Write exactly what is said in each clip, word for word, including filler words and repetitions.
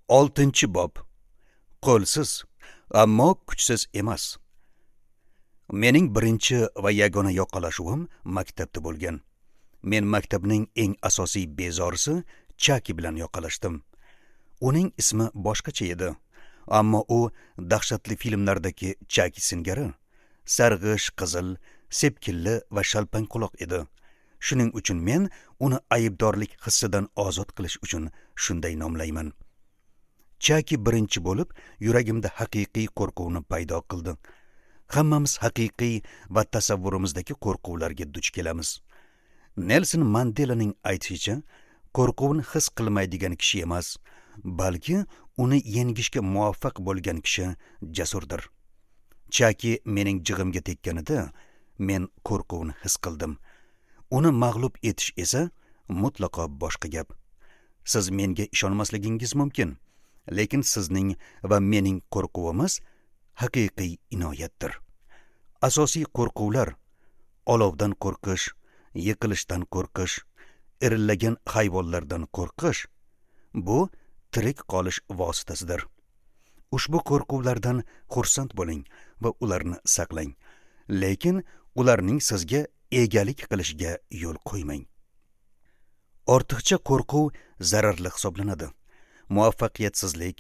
Oltinchi bob. Qo'lsiz, ammo kuchsiz emas. Mening birinchi va yagona yoqalashuvim maktabda bo'lgan. Men maktabning eng asosiy bezorisi Chaki bilan yoqalashdim. Uning ismi boshqacha edi, ammo u dahshatli filmlardagi Chaki singari sarg'ish, qizil, sepkilli va shalpang quloq edi. Shuning uchun men uni aybdorlik hissidan ozod qilish uchun shunday nomlayman. Chaki birinchi bo'lib yuragimda haqiqiy qo'rquvni paydo qildi. Hammamiz haqiqiy va tasavvurimizdagi qo'rquvlarga duch kelamiz. Nelson Mandelaning aytishicha, qo'rquvni his qilmaydigan kishi emas, balki uni yengishga muvaffaq bo'lgan kishi jasurdir. Chaki mening jig'imga tekkanida men qo'rquvni his qildim. Uni mag'lub etish esa mutlaqo boshqa gap. Siz menga ishonmasligingiz mumkin, lekin sizning va mening qo'rquvimiz haqiqiy inoyatdir. Asosiy qo'rquvlar: olovdan qo'rqish, yiqilishdan qo'rqish, irillagan hayvonlardan qo'rqish bu tirik qolish vositasidir. Ushbu qo'rquvlardan xursand bo'ling va ularni saqlang, lekin ularning sizga egalik qilishiga yo'l qo'ymang. Ortiqcha qo'rquv zararli hisoblanadi. Muvaffaqiyatsizlik,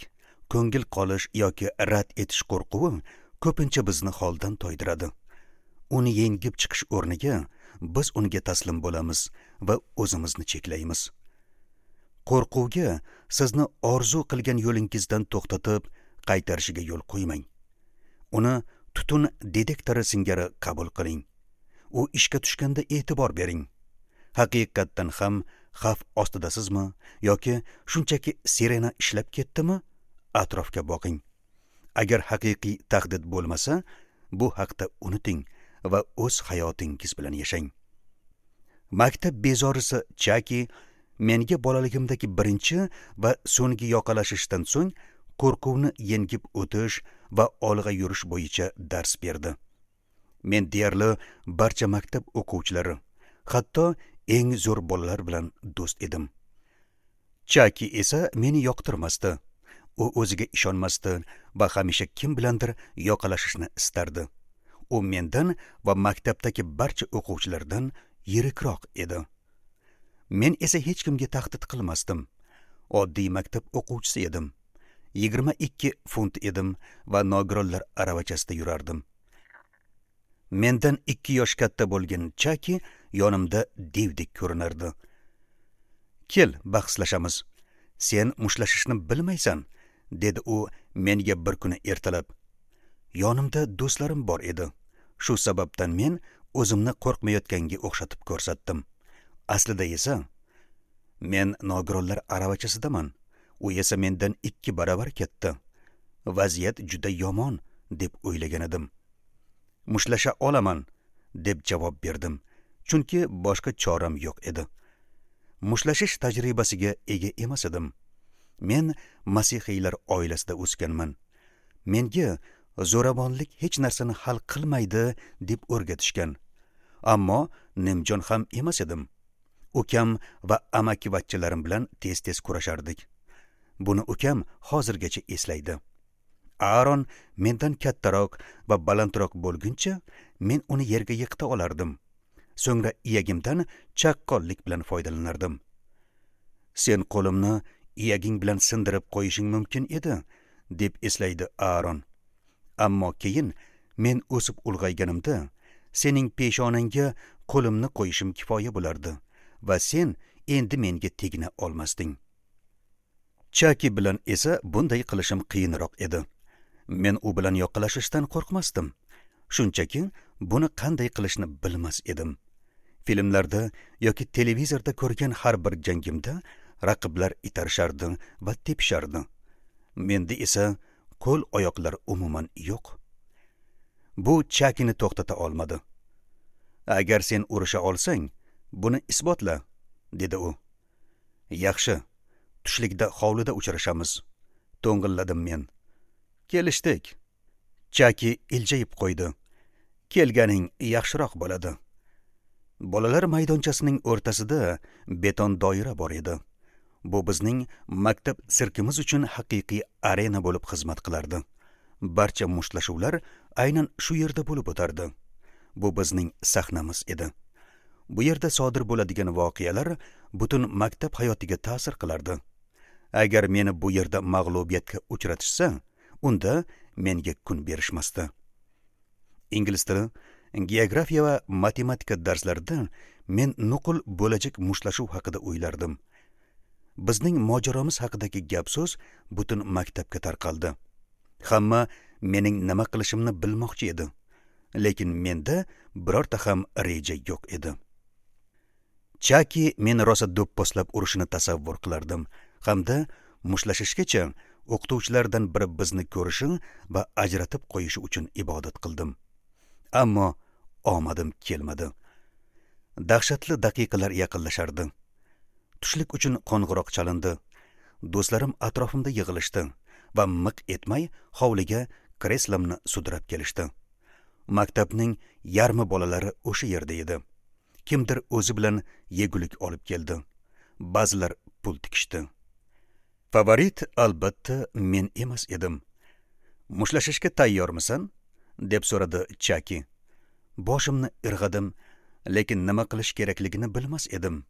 ko'ngil qolish yoki rad etish qo'rquvi ko'pincha bizni holdan toydiradi. Uni yengib chiqish o'rniga biz unga taslim bo'lamiz va o'zimizni cheklaymiz. Qo'rquvga sizni orzu qilgan yo'lingizdan to'xtatib, qaytarishiga yo'l qo'ymang. Uni tutun detektori singari qabul qiling. U ishga tushganda e'tibor bering. Haqiqatdan ham xavf ostidasizmi yoki shunchaki sirena ishlab ketdimi? Atrofga boqing. Agar haqiqiy tahdid bo'lmasa, bu haqda unuting va o'z hayotingiz bilan yashang. Maktab bezorisi Chaki menga bolaligimdagi birinchi va so'nggi yoqalashishdan so'ng qo'rquvni yengib o'tish va olg'a yurish bo'yicha dars berdi. Men deyarli barcha maktab o'quvchilari, hatto eng zo'r bolalar bilan do'st edim. Chaki esa meni yoqtirmasdi. U o'ziga ishonmasdi va hamisha kim bilandir yoqalashishni istardi. U mendan va maktabdagi barcha o'quvchilardan yirikroq edi. Men esa hech kimga tahdid qilmasdim. Oddiy maktab o'quvchisi edim. Yigirma ikki funt edim va nogironlar aravachasida yurardim. Mendan ikki yosh katta bo'lgan Chaki yonimda devdek ko'rinardi. "Kel, bahslashamiz. Sen mushlashishni bilmaysan", dedi u menga bir kuni ertalab. Yonimda do'stlarim bor edi. Shu sababdan men o'zimni qo'rqmayotganga o'xshatib ko'rsatdim. Aslida esa men nogironlar aravachasidaman. U esa mendan ikki baravar katta. Vaziyat juda yomon deb o'ylagan edim. Mushlasha olaman deb javob berdim, chunki boshqa choram yo'q edi. Mushlashish tajribasiga ega emas edim. Men masihiylar oilasida o'sganman. Menga zo'ravonlik hech narsani hal qilmaydi deb o'rgatishgan. Ammo nimjon ham emas edim. Ukam va amakivachchalarim bilan tez-tez kurashardik. Buni ukam hozirgacha eslaydi. Aaron mendan kattaroq va balandroq bo'lguncha men uni yerga yiqita olardim. So'ngra iyagimdan chaqqonlik bilan foydalanardim. "Sen qo'limni iyaging bilan sindirib qo'yishing mumkin edi", deb eslaydi Aaron. Ammo keyin men o'sib ulg'ayganimda sening peshonangga qo'limni qo'yishim kifoya bo'lardi va sen endi menga tegina olmasding. Chaki bilan esa bunday qilishim qiyinroq edi. Men u bilan yoqalashishdan qo'rqmasdim. Shunchaki buni qanday qilishni bilmas edim. Filmlarda yoki televizorda ko'rgan har bir jangimda raqiblar itarishardi va tepishardi. Menda esa qo'l oyoqlar umuman yo'q. Bu Chakini to'xtata olmadi. "Agar sen urusha olsang, buni isbotla", dedi u. "Yaxshi, tushlikda hovlida uchrashamiz", to'ng'illadim men. "Kelishdik." Chaki iljayib qo'ydi. "Kelganing yaxshiroq bo'ladi." Bolalar maydonchasining o'rtasida beton doira bor edi. Bu bizning maktab sirkimiz uchun haqiqiy arena bo'lib xizmat qilardi. Barcha mushtlashuvlar aynan shu yerda bo'lib o'tardi. Bu bizning sahnamiz edi. Bu yerda sodir bo'ladigan voqealar butun maktab hayotiga ta'sir qilardi. Agar meni bu yerda mag'lubiyatga uchratishsa, unda menga kun berishmasdi. Ingliz tili, geografiya va matematika darslarida men nuqul bo'lajak mushtlashuv haqida o'ylardim. Bizning mojaromiz haqidagi gap-so'z butun maktabga tarqaldi. Hamma mening nima qilishimni bilmoqchi edi, lekin menda birorta ham reja yo'q edi. Chaki meni rosa do'pposlab urishini tasavvur qilardim hamda mushlashishgacha o'qituvchilardan biri bizni ko'rishi va ajratib qo'yishi uchun ibodat qildim. Ammo omadim kelmadi. Dahshatli daqiqalar yaqinlashardi. Tushlik uchun qo'ng'iroq chalindi. Do'stlarim atrofimda yig'ilishdi va miq etmay hovliga kreslamni sudrab kelishdi. Maktabning yarmi bolalari o'sha yerda edi. Kimdir o'zi bilan yegulik olib keldi. Ba'zilar pul tikishdi. Favorit albatta men emas edim. Mushlashishga tayyormisan? Deb so'radi Chaki. Boshimni irg'adim, lekin nima qilish kerakligini bilmas edim.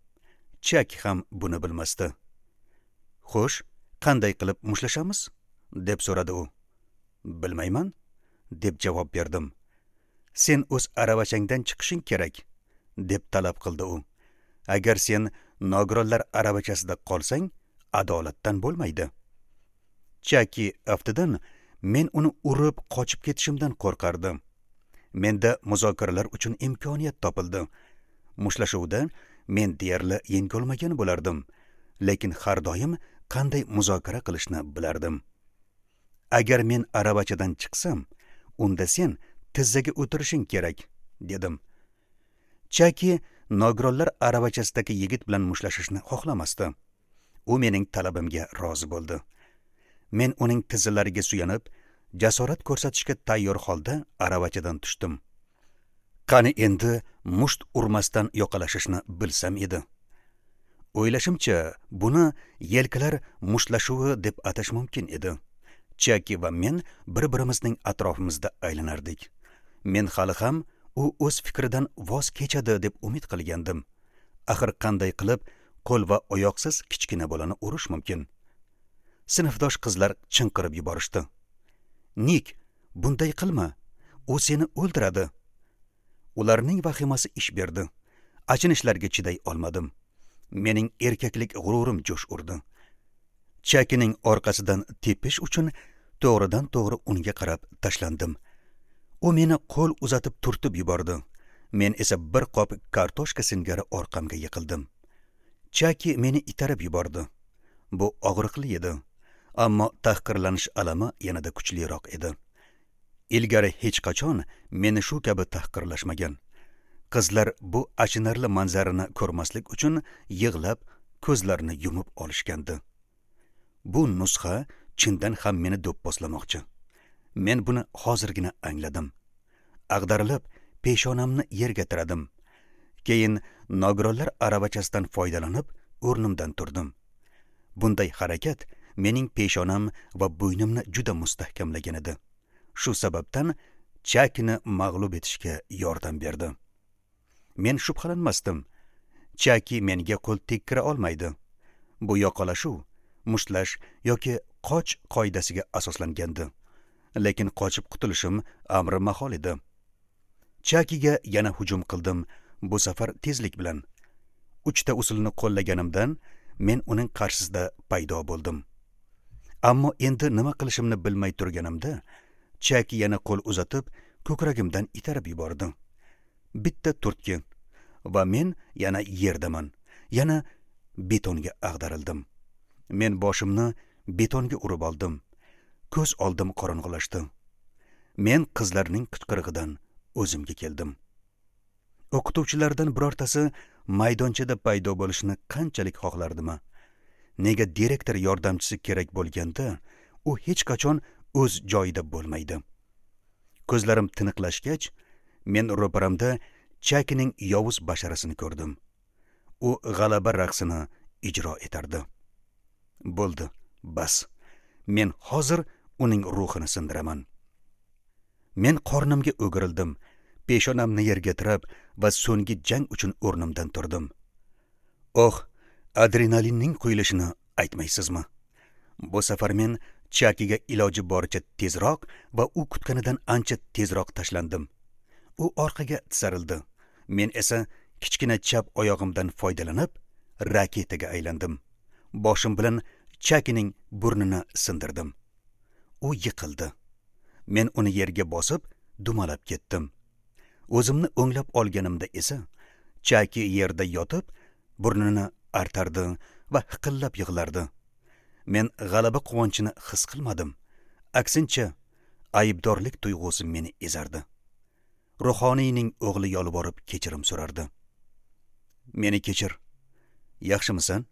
Chaki ham buni bilmasdi. Xo'sh, qanday qilib mushlashamiz? Deb so'radi u. Bilmayman, deb javob berdim. Sen o'z aravachangdan chiqishing kerak, deb talab qildi u. Agar sen nogironlar aravachasida qolsang, adolatdan bo'lmaydi. Chaki aftidan men uni urib qochib ketishimdan qo'rqardim. Menda muzokaralar uchun imkoniyat topildi. Mushlashuvda men deyarli yengolmagan bo'lardim, lekin har doim qanday muzokara qilishni bilardim. Agar men aravachadan chiqsam, unda sen tizzaga o'tirishing kerak, dedim. Chaki nogironlar aravachasidagi yigit bilan mushlashishni xohlamasdi. U mening talabimga rozi bo'ldi. Men uning tizzalariga suyanib, jasorat ko'rsatishga tayyor holda aravachadan tushdim. Qani endi musht urmasdan yoqalashishni bilsam edi. O'ylashimcha, buni yelkalar mushtlashuvi deb atash mumkin edi. Chaki va men bir-birimizning atrofimizda aylanardik. Men hali ham u o'z fikridan voz kechadi deb umid qilgandim. Axir qanday qilib qo'l va oyoqsiz kichkina bolani urish mumkin? Sinfdosh qizlar chinqirib yuborishdi. Nik, bunday qilma, u seni o'ldiradi. Ularning vahimasi ish berdi. Achinishlarga chiday olmadim. Mening erkaklik g'ururim jo'sh urdi. Chakining orqasidan tepish uchun to'g'ridan to'g'ri unga qarab tashlandim. U meni qo'l uzatib turtib yubordi. Men esa bir qop kartoshka singari orqamga yiqildim. Chaki meni itarib yubordi. Bu og'riqli edi, ammo tahqirlanish alami yanada kuchliroq edi. Ilgari hech qachon meni shu kabi tahqirlashmagan. Qizlar bu achinarli manzarani ko'rmaslik uchun yig'lab, ko'zlarini yumib olishgandi. Bu nusxa chindan ham meni do'pposlamoqchi. Men buni hozirgina angladim. Ag'darilib, peshonamni yerga tiradim. Keyin nogironlar aravachasidan foydalanib, o'rnimdan turdim. Bunday harakat mening peshonam va bo'ynimni juda mustahkamlagan edi. Shu sababdan Chakini mag'lub etishga yordam berdi. Men shubhalanmasdim. Chaki menga qo'l tekkira olmaydi. Bu yoqalashuv, mushtlash yoki qoch qoidasiga asoslangandi. Lekin qochib qutulishim amri mahol edi. Chakiga yana hujum qildim, bu safar tezlik bilan. Uchta usulni qo'llaganimdan men uning qarshisida paydo bo'ldim. Ammo endi nima qilishimni bilmay turganimda, Chaki yana qo'l uzatib, ko'kragimdan itarib yubordi. Bitta turtki va men yana yerdaman. Yana betonga ag'darildim. Men boshimni betonga urib oldim. Ko'z oldim qorong'ilashdi. Men qizlarning qichqirig'idan o'zimga keldim. O'qituvchilardan birortasi maydonchada paydo bo'lishini qanchalik xohlardimi? Nega direktor yordamchisi kerak bo'lganda u hech qachon o'z joyida bo'lmaydi? Ko'zlarim tiniqlashgach, men ro'paramda Chakining yovuz basharasini ko'rdim. U g'alaba raqsini ijro etardi. Bo'ldi, bas. Men hozir uning ruhini sindiraman. Men qornimga o'girildim, peshonamni yerga tirab va so'nggi jang uchun o'rnimdan turdim. Oh, adrenalinning quyilishini aytmaysizmi? Bu safar men Chakiga iloji boricha tezroq va u kutganidan ancha tezroq tashlandim. U orqaga tisarildi. Men esa kichkina chap oyog'imdan foydalanib raketaga aylandim. Boshim bilan Chakining burnini sindirdim. U yiqildi. Men uni yerga bosib, dumalab ketdim. O'zimni o'nglab olganimda esa Chaki yerda yotib, burnini artardi va hiqillab yig'lardi. Men g'alaba quvonchini his qilmadim. Aksincha, aybdorlik tuyg'usi meni ezardi. Ruhoniyning o'g'li yolvorib kechirim so'rardi. Meni kechir. Yaxshimisan?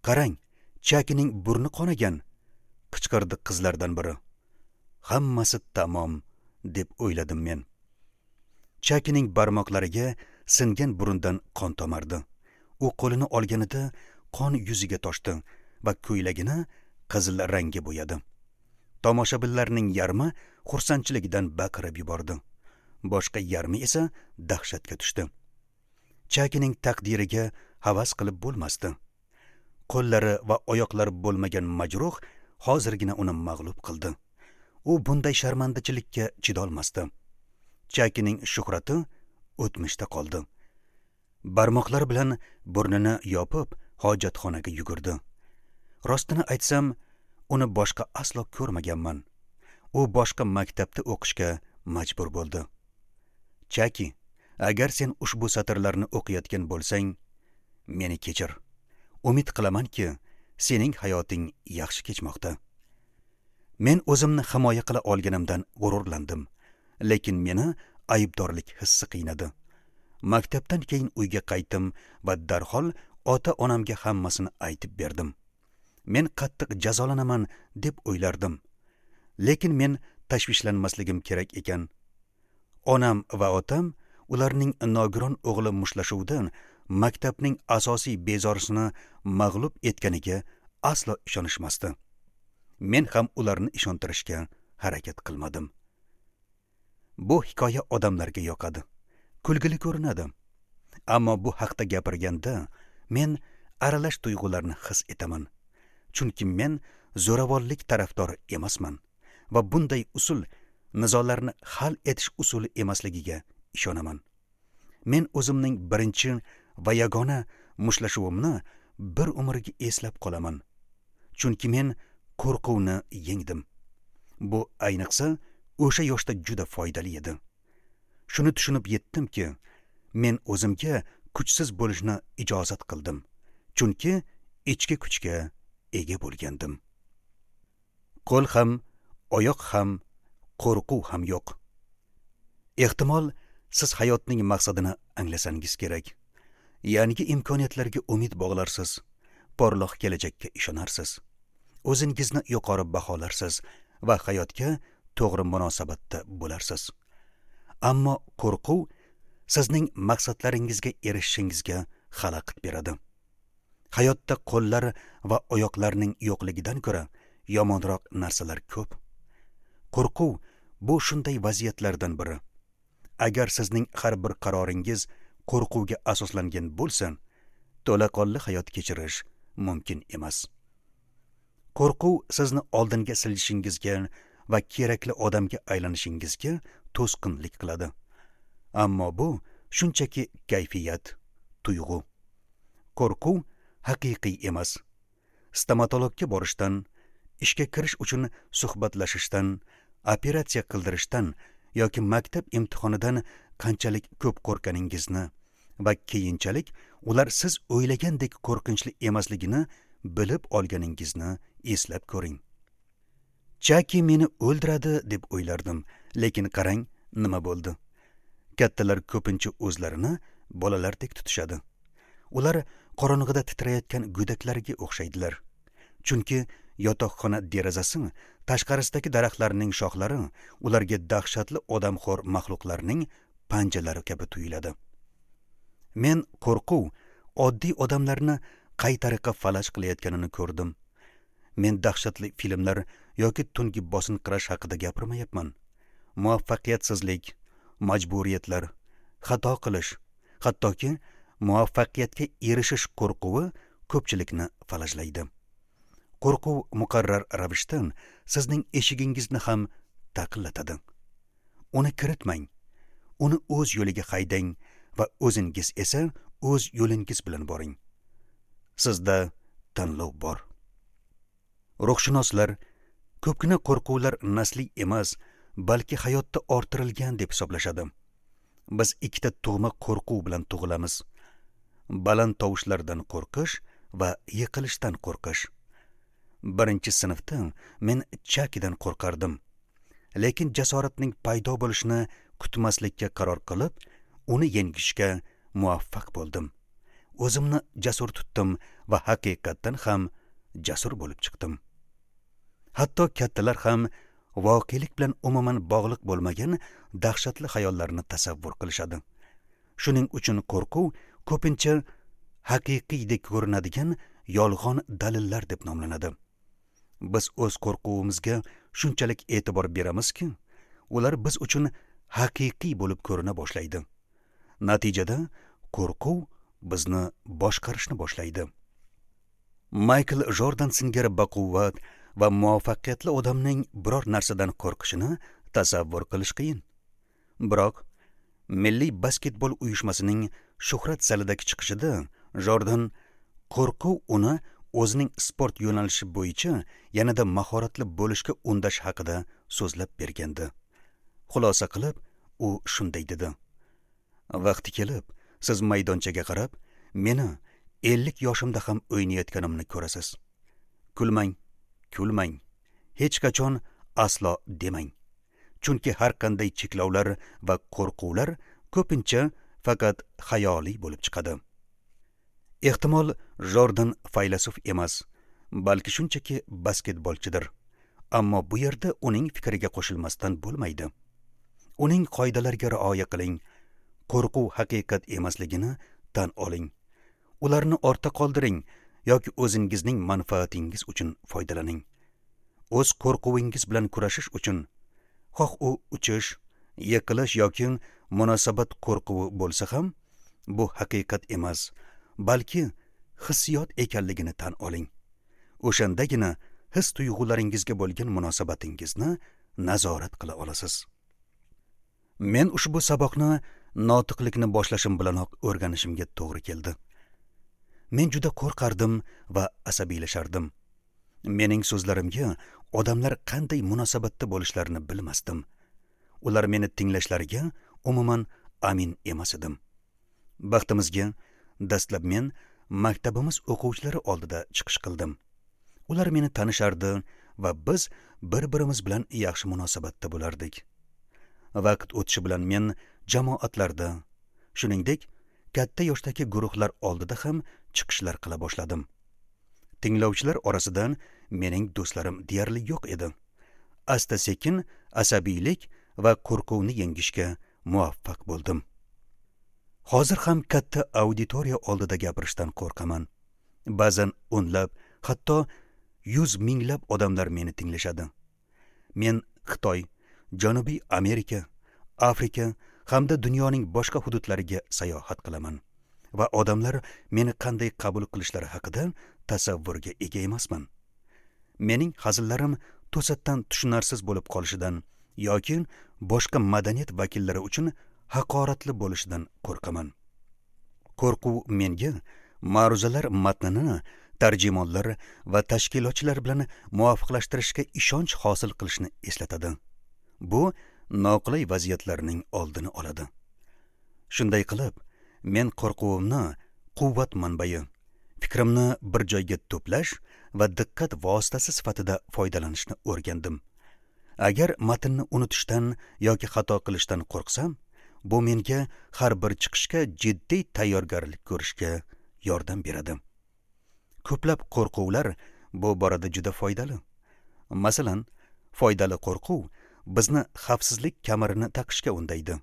Qarang, Chakining burni qonagan, qichqirdi qizlardan biri. Hammasi tamom, deb o'yladim men. Chakining barmoqlariga singan burundan qon tomardi. U qo'lini olganida qon yuziga toshdi va ko'ylagini qizil rangga bo'yadi. Tomoshabinlarning yarmi xursandchiligidan baqirib yubordi. Boshqa yarmi esa dahshatga tushdi. Chakining taqdiriga havas qilib bo'lmasdi. Qo'llari va oyoqlari bo'lmagan majruh hozirgina uni mag'lub qildi. U bunday sharmandachilikka chidolmasdi. Chakining shuhrati o'tmishda qoldi. Barmoqlari bilan burnini yopib, hojatxonaga yugurdi. Rostini aytsam, uni boshqa aslo ko'rmaganman. U boshqa maktabda o'qishga majbur bo'ldi. Chaki, agar sen ushbu satrlarni o'qiyotgan bo'lsang, meni kechir. Umid qilamanki, sening hayoting yaxshi kechmoqda. Men o'zimni himoya qila olganimdan g'ururlandim, lekin meni aybdorlik hissi qiynadi. Maktabdan keyin uyga qaytdim va darhol ota-onamga hammasini aytib berdim. Men qattiq jazolanaman deb o'ylardim. Lekin men tashvishlanmasligim kerak ekan. Onam va otam ularning nogiron o'g'li mushtlashuvidan maktabning asosiy bezorisini mag'lub etganiga aslo ishonishmasdi. Men ham ularni ishontirishga harakat qilmadim. Bu hikoya odamlarga yoqadi. Kulgili ko'rinadi. Ammo bu haqda gapirganda men aralash tuyg'ularni his etaman. Chunki men zo'ravonlik tarafdori emasman va bunday usul nizolarni hal etish usuli emasligiga ishonaman. Men o'zimning birinchi va yagona mushlashuvimni bir umrga eslab qolaman. Chunki men qo'rquvni yengdim. Bu ayniqsa o'sha yoshda juda foydali edi. Shuni tushunib yetdimki, men o'zimga kuchsiz bo'lishni ijozat qildim. Chunki ichki kuchga ega bo'lgandim. Qo'l ham, oyoq ham, qo'rquv ham yo'q. Ehtimol siz hayotning maqsadini anglasangiz kerak. Yangi imkoniyatlarga umid bog'larsiz, porloq kelajakka ishonarsiz. O'zingizni yuqori baholarsiz va hayotga to'g'ri munosabatda bo'larsiz. Ammo qo'rquv sizning maqsadlaringizga erishishingizga xalaqit beradi. Hayotda qo'llar va oyoqlarning yo'qligidan ko'ra yomonroq narsalar ko'p. Qo'rquv bu shunday vaziyatlardan biri. Agar sizning har bir qaroringiz qo'rquvga asoslangan bo'lsa, to'laqonli hayot kechirish mumkin emas. Qo'rquv sizni oldinga silishingizga va kerakli odamga aylanishingizga to'sqinlik qiladi. Ammo bu shunchaki kayfiyat, tuyg'u. Qo'rquv haqiqiy emas. Stomatologga borishdan, ishga kirish uchun suhbatlashishdan, operatsiya qildirishdan yoki maktab imtihonidan qanchalik ko'p qo'rqaningizni va keyinchalik ular siz o'ylagandek qo'rqinchli emasligini bilib olganingizni eslab ko'ring. Chaki meni o'ldiradi deb o'ylardim, lekin qarang nima bo'ldi. Kattalar ko'pincha o'zlarini bolalardek tutishadi. Ular qorong'ida titrayotgan go'daklarga o'xshaydilar. Chunki yotoqxona derazasi tashqarisidagi daraxtlarning shoxlari ularga dahshatli odamxo'r maxluqlarning panjalari kabi tuyuladi. Men qo'rquv oddiy odamlarni qay tariqa falaj qilayotganini ko'rdim. Men dahshatli filmlar yoki tungi bosinqirash haqida gapirmayapman. Muvaffaqiyatsizlik, majburiyatlar, xato qilish, hattoki muvaffaqiyatga erishish qo'rquvi ko'pchilikni falajlaydi. Qo'rquv muqarrar ravishda sizning eshigingizni ham taqillatadi. Uni kiritmang. Uni o'z yo'liga haydang va o'zingiz esa o'z yo'lingiz bilan boring. Sizda tanlov bor. Ruhshunoslar ko'pgina qo'rquvlar nasliy emas, balki hayotda orttirilgan deb hisoblashadi. Biz ikkita tug'ma qo'rquv bilan tug'ilamiz. Baland tovushlardan qo'rqish va yiqilishdan qo'rqish. Birinchi sinfda men chakidan qo'rqardim. Lekin jasoratning paydo bo'lishini kutmaslikka qaror qilib, uni yengishga muvaffaq bo'ldim. O'zimni jasur tutdim va haqiqatdan ham jasur bo'lib chiqdim. Hatto kattalar ham voqelik bilan umuman bog'liq bo'lmagan dahshatli xayollarni tasavvur qilishadi. Shuning uchun qo'rquv ko'pincha haqiqiydek ko'rinadigan yolg'on dalillar deb nomlanadi. Biz o'z qo'rquvimizga shunchalik e'tibor beramizki, ular biz uchun haqiqiy bo'lib ko'rina boshlaydi. Natijada qo'rquv bizni boshqarishni boshlaydi. Maykl Jordan singari baquvvat va muvaffaqiyatli odamning biror narsadan qo'rqishini tasavvur qilish qiyin. Biroq Milliy basketbol uyushmasining shuhrat zalidagi chiqishida Jordan qo'rquv uni o'zining sport yo'nalishi bo'yicha yanada mahoratli bo'lishga undash haqida so'zlab bergandi. Xulosa qilib, u shunday dedi: "Vaqti kelib, siz maydonchaga qarab, meni ellik yoshimda ham o'ynayotganimni ko'rasiz. Kulmang, kulmang, hech qachon aslo demang. Chunki har qanday cheklovlar va qo'rquvlar ko'pincha faqat xayoliy bo'lib chiqadi." Ehtimol Jordan faylasuf emas, balki shunchaki basketbolchidir. Ammo bu yerda uning fikriga qo'shilmasdan bo'lmaydi. Uning qoidalariga rioya qiling, qo'rquv haqiqat emasligini tan oling. Ularni ortda qoldiring yoki o'zingizning manfaatingiz uchun foydalaning. O'z qo'rquvingiz bilan kurashish uchun, xoh u uchish, yiqilish yoki munosabat qo'rquvi bo'lsa ham, bu haqiqat emas, balki hissiyot ekanligini tan oling. O'shandagina his tuyg'ularingizga bo'lgan munosabatingizni nazorat qila olasiz. Men ushbu saboqni notiqlikni boshlashim bilanoq o'rganishimga to'g'ri keldi. Men juda qo'rqardim va asabiylashardim. Mening so'zlarimga odamlar qanday munosabatda bo'lishlarini bilmasdim. Ular meni tinglashlariga umuman amin emas edim. Baxtimizga, dastlab men maktabimiz o'quvchilari oldida chiqish qildim. Ular meni tanishardi va biz bir-birimiz bilan yaxshi munosabatda bo'lardik. Vaqt o'tishi bilan men jamoatlarda, shuningdek, katta yoshdagi guruhlar oldida ham chiqishlar qila boshladim. Tinglovchilar orasidan mening do'stlarim deyarli yo'q edi. Asta-sekin asabiylik va qo'rquvni yengishga muvaffaq bo'ldim. Hozir ham katta auditoriya oldida gapirishdan qo'rqaman. Ba'zan o'nlab, hatto yuz minglab odamlar meni tinglashadi. Men Xitoy, Janubiy Amerika, Afrika hamda dunyoning boshqa hududlariga sayohat qilaman va odamlar meni qanday qabul qilishlari haqida tasavvurga ega emasman. Mening hazillarim to'satdan tushunarsiz bo'lib qolishidan yoki boshqa madaniyat vakillari uchun haqoratli bo'lishidan qo'rqaman. Qo'rquv menga ma'ruzalar matnini tarjimonlar va tashkilotchilar bilan muvofiqlashtirishga ishonch hosil qilishni eslatadi. Bu noqulay vaziyatlarning oldini oladi. Shunday qilib, men qo'rquvimni quvvat manbai, fikrimni bir joyga to'plash va diqqat vositasi sifatida foydalanishni o'rgandim. Agar matnni unutishdan yoki xato qilishdan qo'rqsam, bu menga har bir chiqishga jiddiy tayyorgarlik ko'rishga yordam beradi. Ko'plab qo'rquvlar bu borada juda foydali. Masalan, foydali qo'rquv bizni xavfsizlik kamarini taqishga undaydi.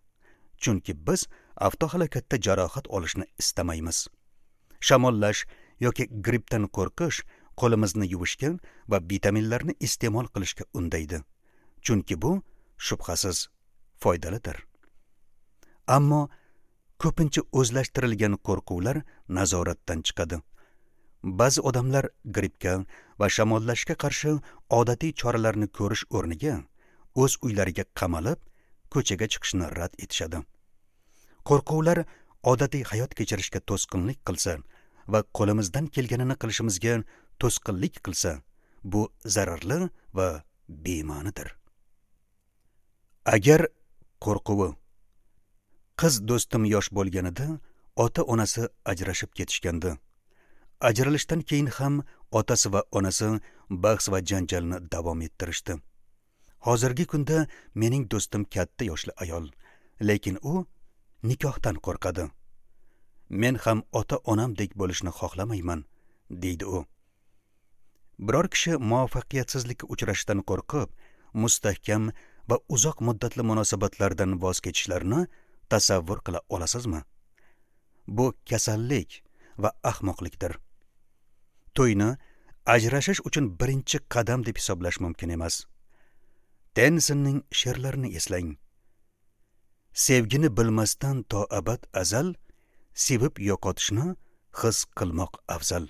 Chunki biz avtohalokatda jarohat olishni istamaymiz. Shamollash yoki grippdan qo'rqish qo'limizni yuvishga va vitaminlarni iste'mol qilishga undaydi. Chunki bu shubhasiz foydalidir. Ammo ko'pincha o'zlashtirilgan qo'rquvlar nazoratdan chiqadi. Ba'zi odamlar grippga va shamollashga qarshi odatiy choralarni ko'rish o'rniga o'z uylariga qamalib, ko'chaga chiqishni rad etishadi. Qo'rquvlar odatiy hayot kechirishga to'sqinlik qilsa va qo'limizdan kelganini qilishimizga to'sqinlik qilsa, bu zararli va bema'nidir. Agar qo'rquvi. Qiz do'stim yosh bo'lganida ota-onasi ajrashib ketishgandi. Ajralishdan keyin ham otasi va onasi bahs va janjalni davom ettirishdi. Hozirgi kunda mening do'stim katta yoshli ayol, lekin u nikohdan qo'rqadi. Men ham ota-onamdek bo'lishni xohlamayman, deydi u. Biror kishi muvaffaqiyatsizlikka uchrashdan qo'rqib, mustahkam va uzoq muddatli munosabatlardan voz kechishlarini tasavvur qila olasizmi? Bu kasallik va ahmoqlikdir. To'yni ajrashish uchun birinchi qadam deb hisoblash mumkin emas. Tennisonning she'rlarini eslang. Sevgini bilmasdan to abad azal, sevib yo'qotishni his qilmoq afzal.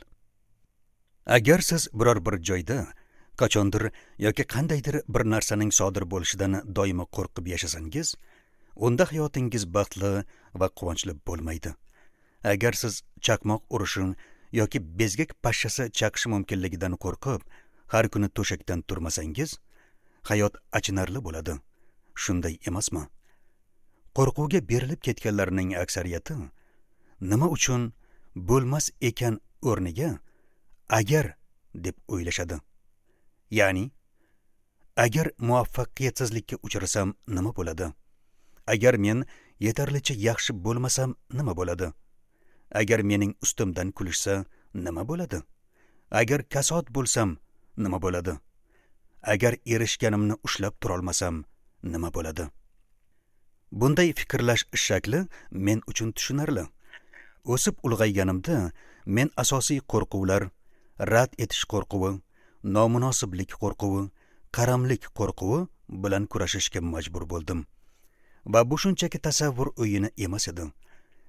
Agar siz biror bir joyda qachondir yoki qandaydir bir narsaning sodir bo'lishidan doimo qo'rqib yashasangiz, unda hayotingiz baxtli va quvonchli bo'lmaydi. Agar siz chaqmoq urishi yoki bezgak pashshasi chaqishi mumkinligidan qo'rqib, har kuni to'shakdan turmasangiz, hayot achinarli bo'ladi. Shunday emasmi? Qo'rquvga berilib ketganlarning aksariyati nima uchun bo'lmas ekan o'rniga agar deb o'ylashadi. Ya'ni, agar muvaffaqiyatsizlikka uchrasam nima bo'ladi? Agar men yetarlicha yaxshi bo'lmasam nima bo'ladi? Agar mening ustimdan kulishsa nima bo'ladi? Agar kasod bo'lsam nima bo'ladi? Agar erishganimni ushlab turolmasam nima bo'ladi? Bunday fikrlash shakli men uchun tushunarli. O'sib ulg'ayganimda men asosiy qo'rquvlar, rad etish qo'rquvi, nomunosiblik qo'rquvi, qaramlik qo'rquvi bilan kurashishga majbur bo'ldim. Va bu shunchaki tasavvur o'yini emas edi.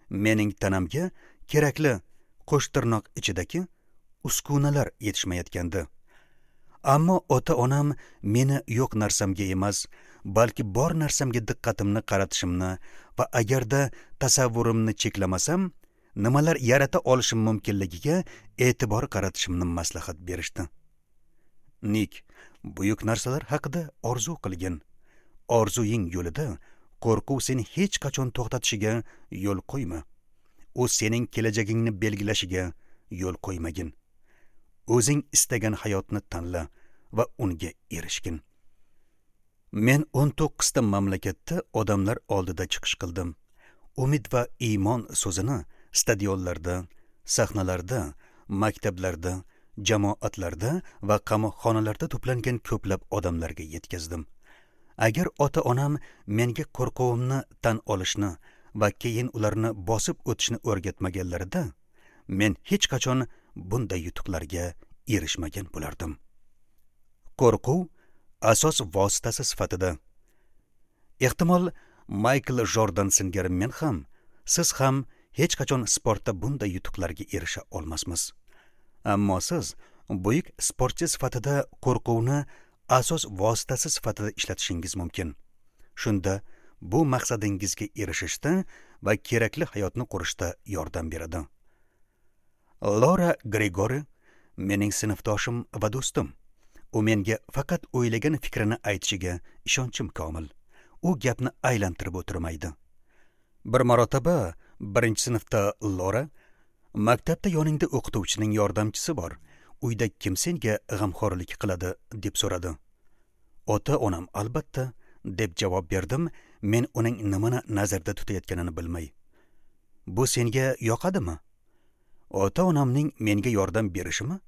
Mening tanamga kerakli qo'shtirnoq ichidagi uskunalar yetishmayotgandi. Ammo ota-onam meni yo'q narsamga emas, balki bor narsamga diqqatimni qaratishimni va agarda tasavvurimni cheklamasam, nimalar yarata olishim mumkinligiga e'tibor qaratishimni maslahat berishdi. Nik, buyuk narsalar haqida orzu qilgin. Orzuying yo'lida qo'rquv seni hech qachon to'xtatishiga yo'l qo'yma. U sening kelajagingni belgilashiga yo'l qo'ymagin. O'zing istagan hayotni tanla va unga erishgin. Men o'n to'qqizta mamlakatda odamlar oldida chiqish qildim. Umid va iymon so'zini stadionlarda, sahnalarda, maktablarda, jamoatlarda va qamoqxonalarda to'plangan ko'plab odamlarga yetkazdim. Agar ota-onam menga qo'rquvimni tan olishni va keyin ularni bosib o'tishni o'rgatmaganlarida, men hech qachon bunday yutuqlarga erishmagan bo'lardim. Qo'rquv asos vositasi sifatida. Ehtimol Maykl Jordan singari men ham, siz ham hech qachon sportda bunday yutuqlarga erisha olmasmiz. Ammo siz buyuk sportchi sifatida qo'rquvni asos vositasi sifatida ishlatishingiz mumkin. Shunda bu maqsadingizga erishishda va kerakli hayotni qurishda yordam beradi. Laura Grigori mening sinfdoshim va do'stim. U menga faqat o'ylagan fikrini aytishiga ishonchim komil. U gapni aylantirib o'tirmaydi. Bir marotaba birinchi sinfda Laura, maktabda yoningda o'qituvchining yordamchisi bor, uyda kim senga g'amxo'rlik qiladi deb so'radi. Ota-onam albatta, deb javob berdim, men uning nimani nazarda tutayotganini bilmay. Bu senga yoqadimi? Ota-onamning menga yordam berishimi?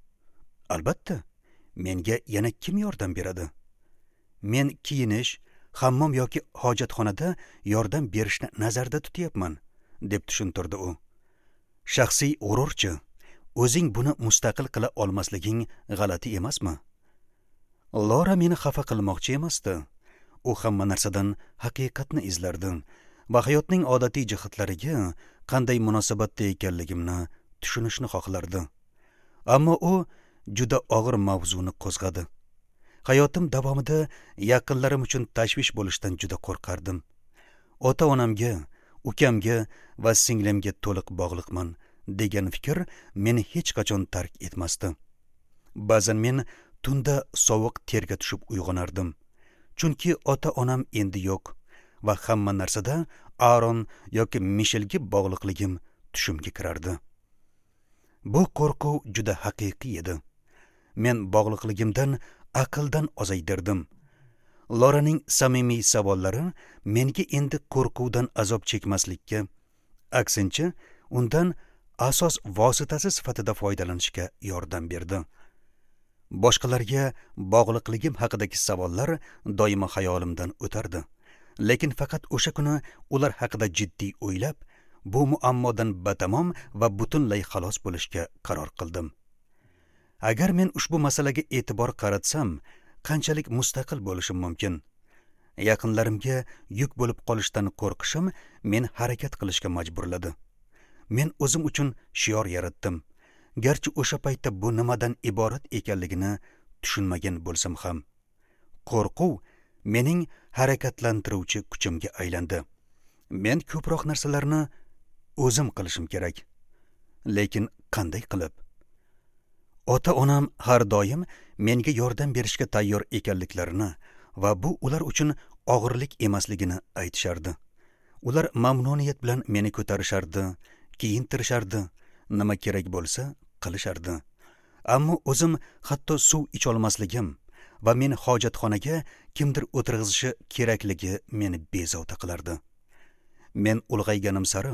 Albatta, menga yana kim yordam beradi? Men kiyinish, hammom yoki hojatxonada yordam berishni nazarda tutyapman, deb tushuntirdi u. Shaxsiy g'ururchi, O'zing buni mustaqil qila olmasliging g'alati emasmi? Lora meni xafa qilmoqchi emasdi. U hamma narsadan haqiqatni izlardi va hayotning odatiy jihatlariga qanday munosabatda ekanligimni tushunishni xohlardi. Ammo u juda og'ir mavzuni qo'zg'adi. Hayotim davomida yaqinlarim uchun tashvish bo'lishdan juda qo'rqardim. Ota-onamga, ukamga va singlimga to'liq bog'liqman degan fikr meni hech qachon tark etmasdi. Ba'zan men tunda sovuq terga tushib uyg'onardim. Chunki ota-onam endi yo'q va hamma narsada Aaron yoki Mishelga bog'liqligim tushimga kirardi. Bu qo'rquv juda haqiqiy edi. Men bog'liqligimdan aqldan ozaydirdim. Loraning samimiy savollari menga endi qo'rquvdan azob chekmaslikka, aksincha undan asos vositasi sifatida foydalanishga yordam berdi. Boshqalarga bog'liqligim haqidagi savollar doimo xayolimdan o'tardi. Lekin faqat o'sha kuni ular haqida jiddiy o'ylab, bu muammodan batamom va butunlay xalos bo'lishga qaror qildim. Agar men ushbu masalaga e'tibor qaratsam, qanchalik mustaqil bo'lishim mumkin? Yaqinlarimga yuk bo'lib qolishdan qo'rqishim meni harakat qilishga majburladi. Men o'zim uchun shior yaratdim. Garchi o'sha paytda bu nimadan iborat ekanligini tushunmagan bo'lsam ham, qo'rquv mening harakatlantiruvchi kuchimga aylandi. Men ko'proq narsalarni o'zim qilishim kerak. Lekin qanday qilib? Ota-onam har doim menga yordam berishga tayyor ekanliklarini va bu ular uchun og'irlik emasligini aytishardi. Ular mamnuniyat bilan meni ko'tarishardi, kiyintirishardi, nima kerak bo'lsa qilishardi. Ammo o'zim hatto suv icholmasligim va meni hojatxonaga kimdir o'tirg'izishi kerakligi meni bezovta qilardi. Men ulg'ayganim sari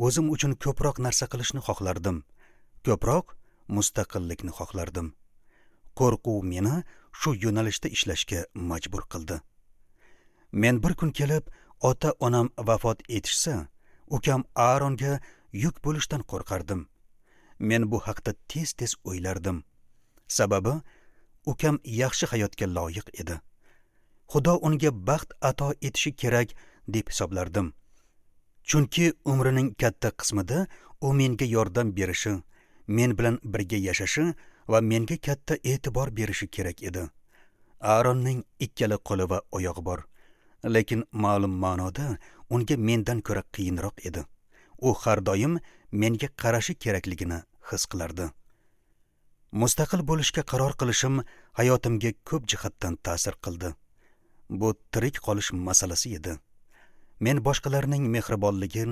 o'zim uchun ko'proq narsa qilishni xohlardim. Ko'proq mustaqillikni xohlardim. Qo'rquv meni shu yo'nalishda ishlashga majbur qildi. Men bir kun kelib ota-onam vafot etishsa, ukam Aaronga yuk bo'lishdan qo'rqardim. Men bu haqda tez-tez o'ylardim. Sababi ukam yaxshi hayotga loyiq edi. Xudo unga baxt ato etishi kerak deb hisoblardim. Chunki umrining katta qismida u menga yordam berishi, men bilan birga yashashi va menga katta e'tibor berishi kerak edi. Aaronning ikkala qo'li va oyog'i bor, lekin ma'lum ma'noda unga mendan ko'ra qiyinroq edi. U har doim menga qarashi kerakligini his qilardi. Mustaqil bo'lishga qaror qilishim hayotimga ko'p jihatdan ta'sir qildi. Bu tirik qolish masalasi edi. Men boshqalarning mehribonligi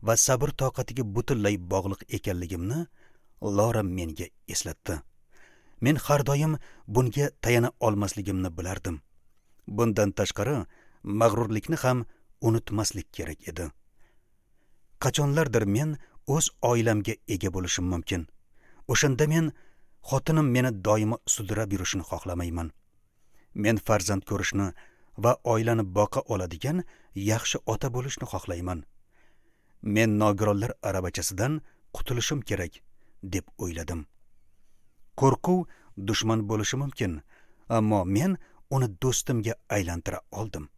va sabr toqatiga butunlay bog'liq ekanligimni Lora menga eslatdi. Men har doim bunga tayana olmasligimni bilardim. Bundan tashqari mag'rurlikni ham unutmaslik kerak edi. Qachonlardir men o'z oilamga ega bo'lishim mumkin. O'shanda men xotinim meni doimo sudrab yurishini xohlamayman. Men farzand ko'rishni va oilani boqa oladigan yaxshi ota bo'lishni xohlayman. Men nogironlar aravachasidan qutulishim kerak deb o'yladim. Qo'rquv dushman bo'lishi mumkin, ammo men uni do'stimga aylantira oldim.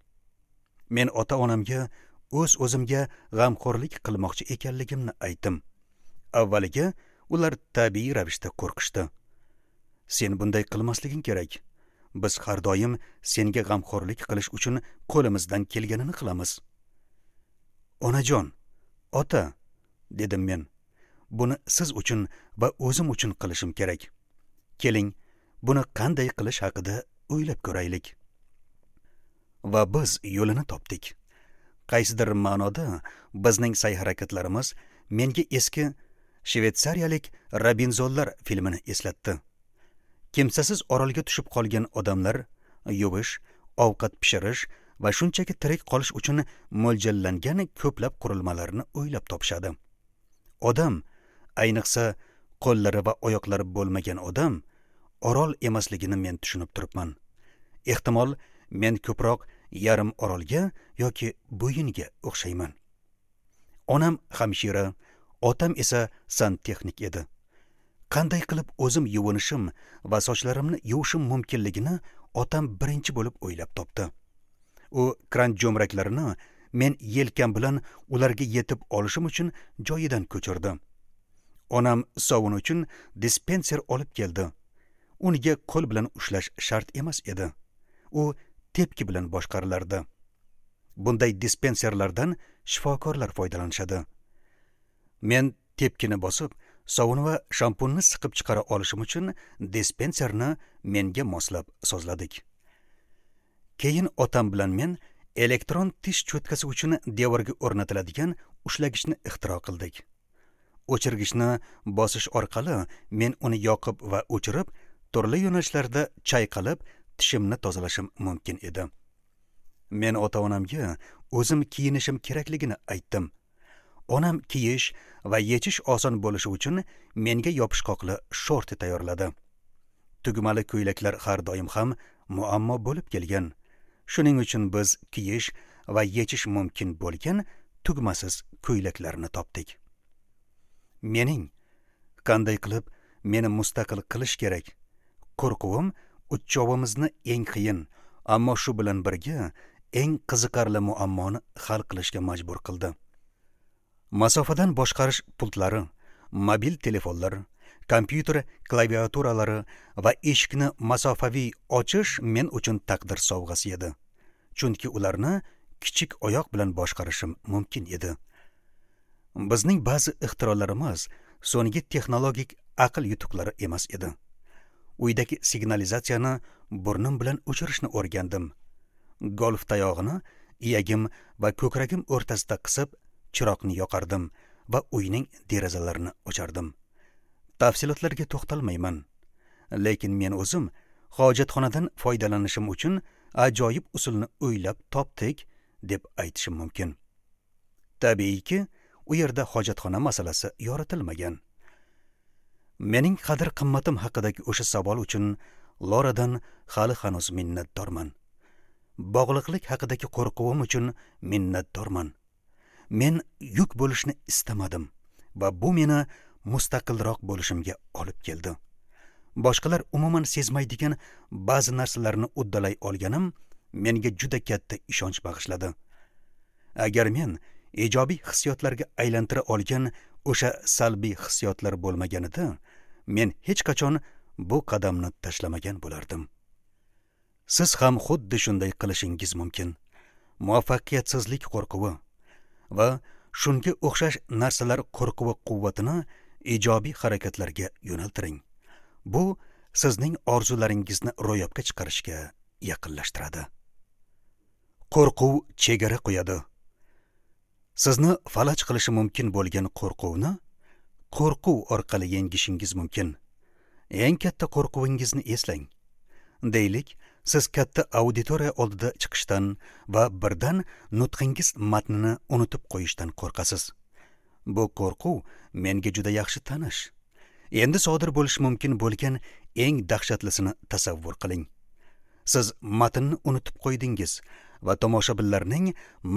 Men ota-onamga o'z-o'zimga g'amxo'rlik qilmoqchi ekanligimni aytdim. Avvaliga ular tabiiy ravishda qo'rqishdi. Sen bunday qilmasliging kerak. Biz har doim senga g'amxo'rlik qilish uchun qo'limizdan kelganini qilamiz. Onajon, ota, dedim men. Buni siz uchun va o'zim uchun qilishim kerak. Keling, buni qanday qilish haqida o'ylab ko'raylik. Va biz yo'lini topdik. Qaysidir ma'noda bizning sa'y-harakatlarimiz menga eski shvetsariyalik Robinzonlar filmini eslatdi. Kimsasiz orolga tushib qolgan odamlar yuvish, ovqat pishirish va shunchaki tirik qolish uchun mo'ljallangan ko'plab qurilmalarni o'ylab topishadi. Odam, ayniqsa qo'llari va oyoqlari bo'lmagan odam, orol emasligini men tushunib turibman. Ehtimol men ko'proq yarim orolga yoki bo'yinga o'xshayman. Onam hamshira, otam esa santexnik edi. Qanday qilib o'zim yuvinishim va sochlarimni yuvishim mumkinligini otam birinchi bo'lib o'ylab topdi. U kran jo'mraklarini men yelkam bilan ularga yetib olishim uchun joyidan ko'chirdi. Onam sovun uchun dispenser olib keldi. Unga qo'l bilan ushlash shart emas edi. U tepki bilan boshqarilardi. Bunday dispenserlardan shifokorlar foydalanishadi. Men tepkini bosib, sovun va shampunni siqib chiqara olishim uchun dispenserni menga moslab sozladik. Keyin otam bilan men elektron tish cho'tkasi uchun devorga o'rnatiladigan ushlagichni ixtiro qildik. O'chirgichni bosish orqali men uni yoqib va o'chirib, turli yo'nalishlarda chayqalib, tishimni tozalashim mumkin edi. Men ota-onamga o'zim kiyinishim kerakligini aytdim. Onam kiyish va yechish oson bo'lishi uchun menga yopishqoqli shorti tayyorladi. Tugmali ko'ylaklar har doim ham muammo bo'lib kelgan. Shuning uchun biz kiyish va yechish mumkin bo'lgan tugmasiz ko'ylaklarni topdik. Mening qanday qilib meni mustaqil qilish kerak? Qo'rquvim uchovimizni eng qiyin, ammo shu bilan birga eng qiziqarli muammoni hal qilishga majbur qildi. Masofadan boshqarish pultlari, mobil telefonlar, kompyuter klaviaturalari va eshikni masofaviy ochish men uchun taqdir sovg'asi edi. Chunki ularni kichik oyoq bilan boshqarishim mumkin edi. Bizning ba'zi ixtirolarimiz so'nggi texnologik aql yutuqlari emas edi. Uydagi signalizatsiyani burnim bilan o'chirishni o'rgandim. Golf tayog'ini iyagim va ko'kragim o'rtasida qisib, chiroqni yoqardim va uyning derazalarini ochardim. Tafsilotlarga to'xtalmayman. Lekin men o'zim hojatxonadan foydalanishim uchun ajoyib usulni o'ylab topdik deb aytishim mumkin. Tabiiyki, u yerda hojatxona masalasi yoritilmagan. Mening qadr-qimmatim haqidagi o'sha savol uchun Loradan hali hanuz minnatdorman. Bog'liqlik haqidagi qo'rquvim uchun minnatdorman. Men yuk bo'lishni istamadim va bu meni mustaqilroq bo'lishimga olib keldi. Boshqalar umuman sezmaydigan ba'zi narsalarni uddalay olganim menga juda katta ishonch bag'ishladi. Agar men ijobiy hissiyotlarga aylantira olgan o'sha salbiy hissiyotlar bo'lmaganida, men hech qachon bu qadamni tashlamagan bo'lardim. Siz ham xuddi shunday qilishingiz mumkin. Muvaffaqiyatsizlik qo'rquvi va shunga o'xshash narsalar qo'rquvi quvvatini ijobiy harakatlarga yo'naltiring. Bu sizning orzularingizni ro'yobga chiqarishga yaqinlashtiradi. Qo'rquv chegara qo'yadi. Sizni falaj qilishi mumkin bo'lgan qo'rquvni qo'rquv orqali yengishingiz mumkin. Eng katta qo'rquvingizni eslang. Deylik, siz katta auditoriya oldida chiqishdan va birdan nutqingiz matnini unutib qo'yishdan qo'rqasiz. Bu qo'rquv menga juda yaxshi tanish. Endi sodir bo'lishi mumkin bo'lgan eng dahshatlisini tasavvur qiling. Siz matnni unutib qo'ydingiz va tomoshabinlarning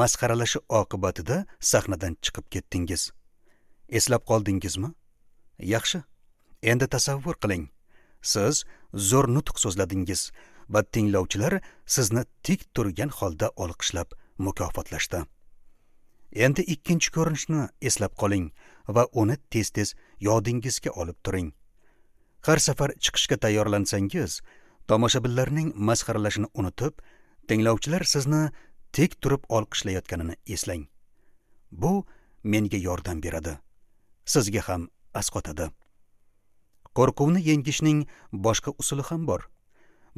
masxaralashi oqibatida sahnadan chiqib ketdingiz. Eslab qoldingizmi? Yaxshi. Endi tasavvur qiling. Siz zo'r nutq so'zladingiz va tinglovchilar sizni tik turgan holda olqishlab mukofotlashdi. Endi ikkinchi ko'rinishni eslab qoling va uni tez-tez yodingizga olib turing. Har safar chiqishga tayyorlansangiz, tomoshabinlarning masxaralashini unutib, tinglovchilar sizni tik turib olqishlayotganini eslang. Bu menga yordam beradi. Sizga ham asqotadi. Qo'rquvni yengishning boshqa usuli ham bor.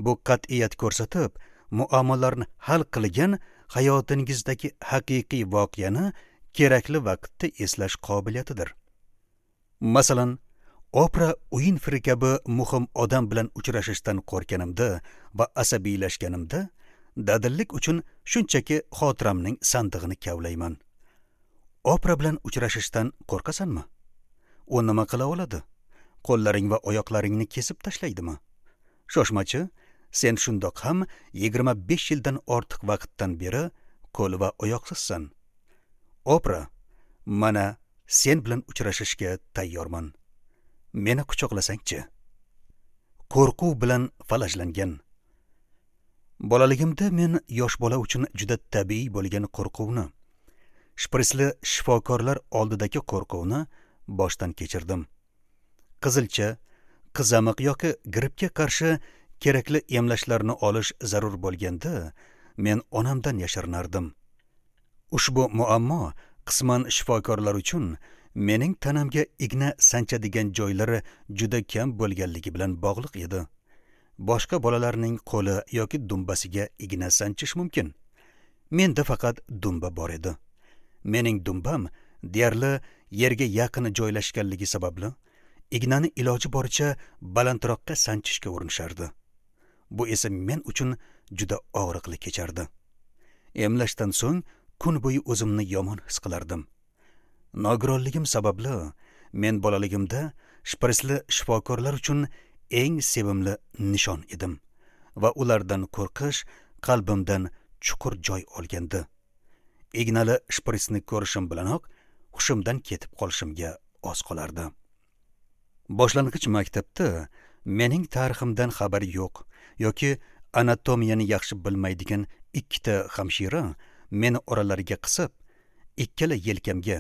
Bu qat'iyat ko'rsatib, muammolarni hal qilgan hayotingizdagi haqiqiy voqeani kerakli vaqtda eslash qobiliyatidir. Masalan, Opra Uinfri kabi muhim odam bilan uchrashishdan qo'rqganimda va asabiylashganimda dadillik uchun shunchaki xotiramning sandig'ini kavlayman. Opra bilan uchrashishdan qo'rqasanmi? U nima qila oladi? Qo'llaring va oyoqlaringni kesib tashlaydimi? Shoshmachi, sen shundoq ham yigirma besh yildan ortiq vaqtdan beri qo'l va oyoqsizsan. Opra, mana sen bilan uchrashishga tayyorman. Meni quchoqlasangchi. Qo'rquv bilan falajlangan. Bolaligimda men yosh bola uchun juda tabiiy bo'lgan qo'rquvni, shprisli shifokorlar oldidagi qo'rquvni boshdan kechirdim. Qizilcha, qizamiq yoki grippga qarshi kerakli emlashlarni olish zarur bo'lganda, men onamdan yashirinardim. Ushbu muammo qisman shifokorlar uchun mening tanamga igna sanchadigan joylari juda kam bo'lganligi bilan bog'liq edi. Boshqa bolalarning qo'li yoki dumbasiga igna sanchish mumkin. Menda faqat dumba bor edi. Mening dumbam deyarli yerga yaqin joylashganligi sababli ignani iloji boricha balandroqqa sanchishga urinishardi. Bu esa men uchun juda og'riqli kechardi. Emlashdan so'ng kun bo'yi o'zimni yomon his qilardim. Nogironligim sababli men bolaligimda shprisli shifokorlar uchun eng sevimli nishon edim va ulardan qo'rqish qalbimdan chuqur joy olgandi. Ignali shprisni ko'rishim bilanoq hushimdan ketib qolishimga oz qolardi. Boshlang'ich maktabda mening tariximdan xabari yo'q yoki anatomiyani yaxshi bilmaydigan ikkita hamshira meni oralariga qisib, ikkala yelkamga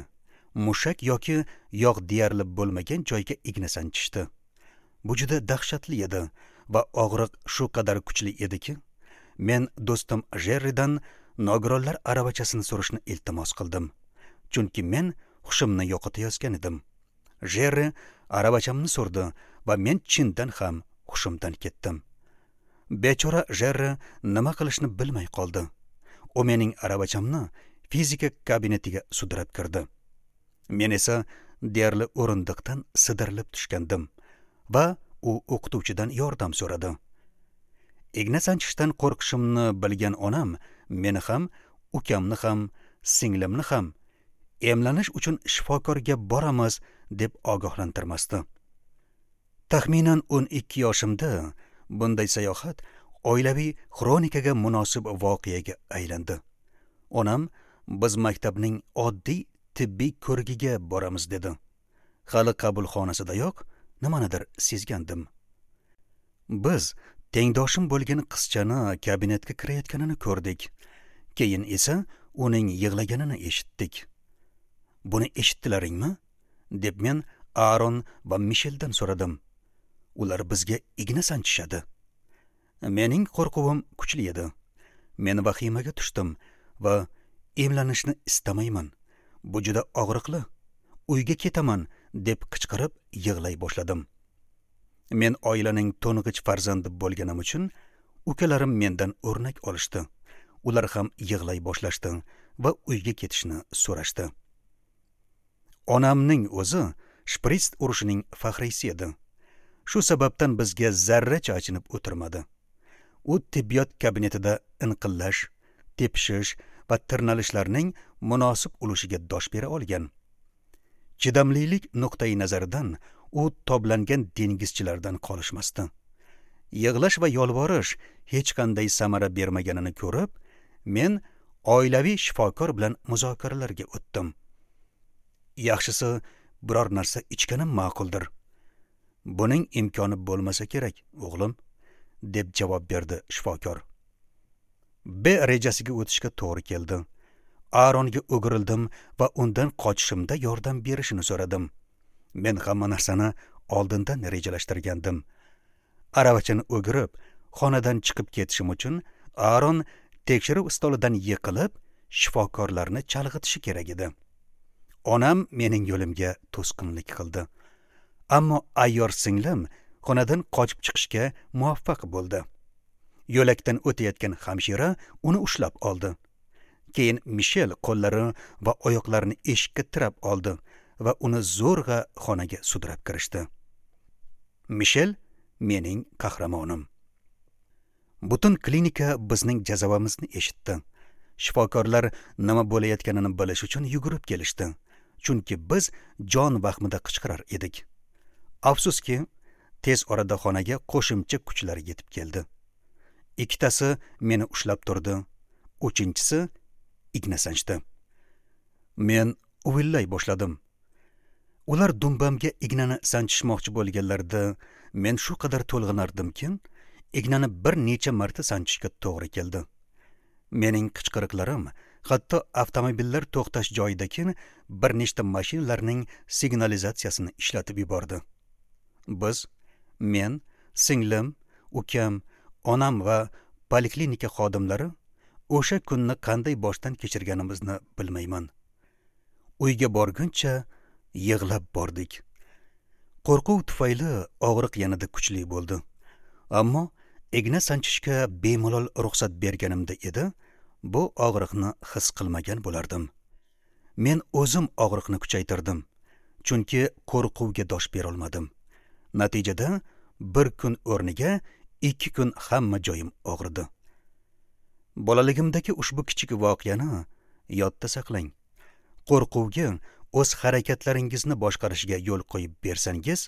mushak yoki yog' deyarli bo'lmagan joyga igna sanchishdi. Bu juda dahshatli edi va og'riq shu qadar kuchli ediki, men do'stim Jerridan nogironlar aravachasini so'rashni iltimos qildim, chunki men hushimni yo'qotayotgan edim. Jerri aravachamni so'rdi va men chindan ham hushimdan ketdim. Bechora Jerri nima qilishni bilmay qoldi. U mening aravachamni fizika kabinetiga sudrab kirdi. Men esa deyarli o'rindiqdan sidirilib tushgandim va u o'qituvchidan yordam so'radi. Igna sanchishdan qo'rqishimni bilgan onam meni ham, ukamni ham, singlimni ham emlanish uchun shifokorga boramiz deb ogohlantirmasdi. Taxminan o'n ikki yoshimda bunday sayohat oilaviy xronikaga munosib voqeaga aylandi. Onam biz maktabning oddiy tibbiy ko'rigiga boramiz dedi. Hali qabulxonasidayoq nimanidir sezgandim. Biz tengdoshim bo'lgan qizchani kabinetga kirayotganini ko'rdik. Keyin esa uning yig'laganini eshitdik. Buni eshitdilaringmi? Deb men Aaron va Misheldan so'radim. Ular bizga igna sanchishadi. Mening qo'rquvim kuchli edi. Men vahimaga tushdim va emlanishni istamayman. Bu juda og'riqli. Uyga ketaman deb qichqirib yig'lay boshladim. Men oilaning to'ng'ich farzandi bo'lganim uchun ukalarim mendan o'rnak olishdi. Ular ham yig'lay boshlashdi va uyga ketishni so'rashdi. Onamning o'zi shprits urushining faxriysi edi. Shu sababdan bizga zarracha achinib o'tirmadi. U tibbiyot kabinetida inqillash, tepishish va tirnalishlarning munosib ulushiga dosh bera olgan. Chidamlilik nuqtai nazaridan u toblangan dengizchilardan qolishmasdi. Yig'lash va yolvorish hech qanday samara bermaganini ko'rib, men oilaviy shifokor bilan muzokaralarga o'tdim. Yaxshisi biror narsa ichganim ma'quldir. Buning imkoni bo'lmasa kerak, o'g'lim, deb javob berdi shifokor. B rejasiga o'tishga to'g'ri keldi. Aaronga o'girildim va undan qochishimda yordam berishini so'radim. Men hamma narsani oldindan rejalashtirgandim. Aravachani o'girib, xonadan chiqib ketishim uchun Aaron tekshiruv stolidan yiqilib, shifokorlarni chalg'itishi kerak edi. Onam mening yo'limga to'sqinlik qildi. Ammo ayyor singlim xonadan qochib chiqishga muvaffaq bo'ldi. Yo'lakdan o'tayotgan hamshira uni ushlab oldi. Keyin Mishel qo'llari va oyoqlarini eshikka tirab oldi va uni zo'rg'a xonaga sudrab kirishdi. Mishel mening qahramonim. Butun klinika bizning jazavamizni eshitdi. Shifokorlar nima bo'layotganini bilish uchun yugurib kelishdi, chunki biz jon vahmida qichqirar edik. Afsuski, tez orada xonaga qo'shimcha kuchlar yetib keldi. Ikkitasi meni ushlab turdi, uchinchisi igna sanchdi. Men uvillay boshladim. Ular dumbamga ignani sanchishmoqchi bo'lganlarida men shu qadar to'lg'anardimki, ignani bir necha marta sanchishga to'g'ri keldi. Mening qichqiriqlarim hatto avtomobillar to'xtash joyidagi bir nechta mashinalarning signalizatsiyasini ishlatib yubordi. Biz, men, singlim, ukam, onam va poliklinika xodimlari o'sha kunni qanday boshdan kechirganimizni bilmayman. Uyga borguncha yig'lab bordik. Qo'rquv tufayli og'riq yanada kuchli bo'ldi. Ammo igna sanchishga bemalol ruxsat berganimda edi, bu og'riqni his qilmagan bo'lardim. Men o'zim og'riqni kuchaytirdim, chunki qo'rquvga dosh bera olmadim. Natijada bir kun o'rniga ikki kun hamma joyim og'ridi. Bolaligimdagi ushbu kichik voqeani yodda saqlang. Qo'rquvga o'z harakatlaringizni boshqarishga yo'l qo'yib bersangiz,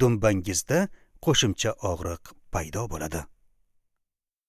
dumbangizda qo'shimcha og'riq paydo bo'ladi.